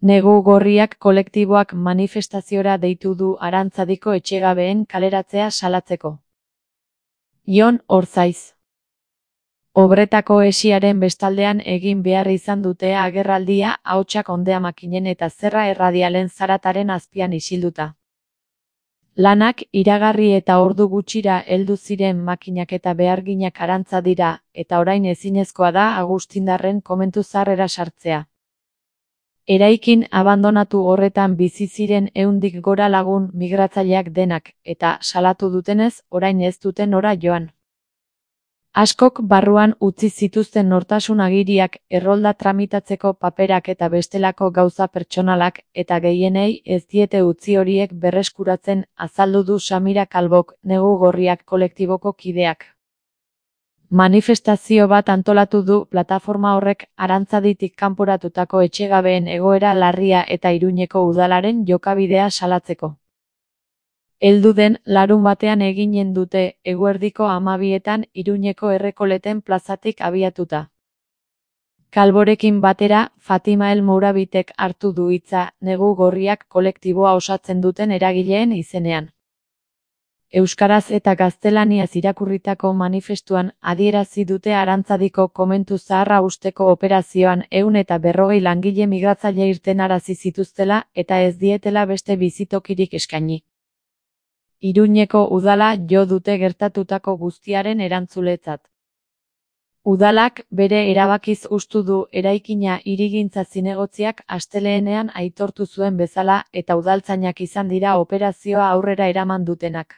Negu Gorriak kolektiboak manifestaziora deitu du Arantzadiko etxegabeen kaleratzea salatzeko. Jon Orzaiz. Obretako hesiaren bestaldean egin behar izan dute agerraldia ahotsak Ondeamakinen eta Zerra Erradialen zarataren azpian isilduta. Lanak iragarri eta ordu gutxira heldu ziren makinak eta beharginak Arantza dira, eta orain ezinezkoa da Agustindarren komentu zaharrera sartzea. Eraikin abandonatu horretan bizi ziren 100 gora lagun migratzaileak denak, eta salatu dutenez, orain ez duten nora joan. Askok barruan utzi zituzten nortasun agiriak, errolda tramitatzeko paperak eta bestelako gauza pertsonalak, eta gehienei ez diete utzi horiek berreskuratzen, azaldu du Samira Kalbok, Negu Gorriak kolektiboko kideak. Manifestazio bat antolatu du plataforma horrek Arantzaditik kanporatutako etxegabeen egoera larria eta Iruñeko udalaren jokabidea salatzeko. Heldu den larunbatean eginen dute, eguerdiko 12etan Iruñeko Errekoleten plazatik abiatuta. Kalborekin batera, Fatima El Mourabitek hartu du hitza, Negu Gorriak kolektiboa osatzen duten eragileen izenean. Euskaraz eta gaztelaniaz irakurritako manifestuan adierazi dute Arantzadiko komentu zaharra usteko operazioan 140 langile migratzaile irtenarazi zituztela eta ez dietela beste bizitokirik eskaini. Iruñeko udala jo dute gertatutako guztiaren erantzuletzat. Udalak bere erabakiz hustu du eraikina hirigintza zinegotziak asteleenean aitortu zuen bezala eta udaltzainak izan dira operazioa aurrera eraman dutenak.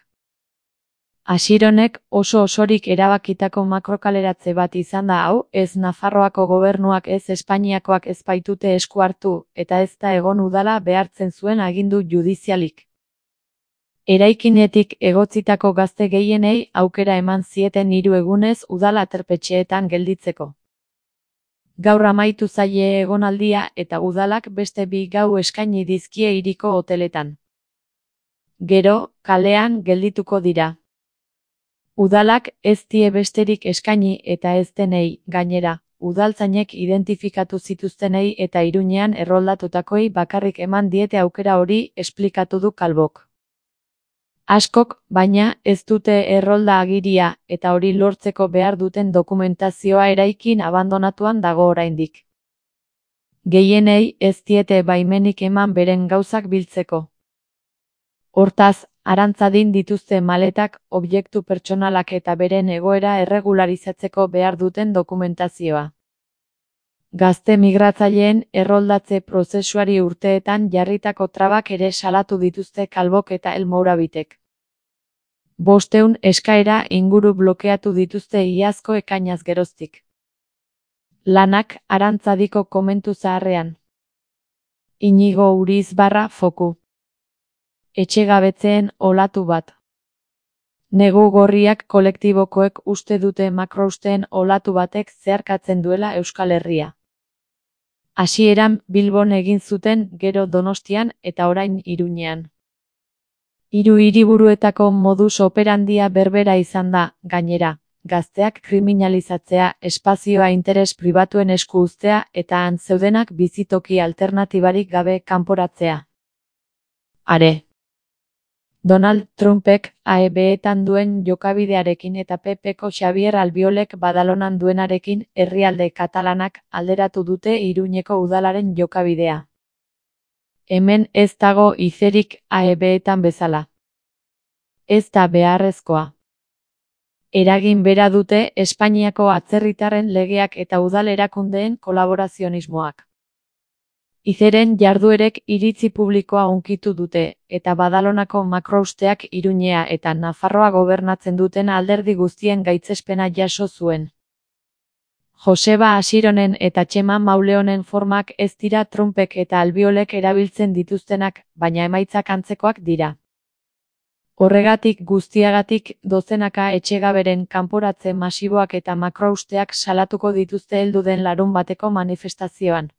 Asironek oso osorik erabakitako makrokaleratze bat izan da hau, ez Nafarroako gobernuak ez Espainiakoak ez baitute esku hartu, eta ez da egon udala behartzen zuen agindu judizialik. Eraikinetik egotzitako gazte gehienei aukera eman zieten 3 egunez udal aterpetxeetan gelditzeko. Gaur amaitu zaie egonaldia eta udalak beste 2 gau eskaini dizkie hiriko hoteletan. Gero, kalean geldituko dira. Udalak ez die besterik eskaini eta ez denei, gainera, udaltzainek identifikatu zituztenei eta Iruñean erroldatutakoei bakarrik eman diete aukera hori, esplikatu du Kalbok. Askok, baina, ez dute errolda agiria, eta hori lortzeko behar duten dokumentazioa eraikin abandonatuan dago oraindik. Gehienei ez diete baimenik eman beren gauzak biltzeko. Hortaz, Arantzadin dituzte maletak, objektu pertsonalak eta beren egoera erregularizatzeko behar duten dokumentazioa. Gazte migratzaileen erroldatze prozesuari urteetan jarritako trabak ere salatu dituzte Kalbok eta El Mourabitek. 500 eskaera inguru blokeatu dituzte iazko ekainaz geroztik. Lanak Arantzadiko komentu zaharrean. Inigo Urizbarra foku. Etxegabetzeen olatu bat. Negu Gorriak kolektibokoek uste dute makrousteen olatu batek zeharkatzen duela Euskal Herria. Hasieran Bilbon egin zuten, gero Donostian eta orain Iruñean. 3 hiriburuetako modus operandia berbera izan da, gainera, gazteak kriminalizatzea, espazioa interes pribatuen esku uztea eta han zeudenak bizitoki alternatibarik gabe kanporatzea. Are. Donald Trumpek AEB-etan duen jokabidearekin eta PP-ko Xabier Albiolek Badalonan duenarekin herrialde katalanak alderatu dute Iruñeko udalaren jokabidea. Hemen ez dago izerik AEB-etan bezala. Ez da beharrezkoa. Eragin bera dute Espainiako atzerritarren legeak eta udal erakundeen kolaborazionismoak. Izeren jarduerek iritzi publikoa hunkitu dute, eta Badalonako makrousteak Iruñea eta Nafarroa gobernatzen duten alderdi guztien gaitzespena jaso zuen. Joseba Asironen eta Txema Mauleonen formak ez dira Trumpek eta Albiolek erabiltzen dituztenak, baina emaitzak antzekoak dira. Horregatik guztiagatik dozenaka etxegaberen kanporatze masiboak eta makrousteak salatuko dituzte heldu den larunbateko manifestazioan.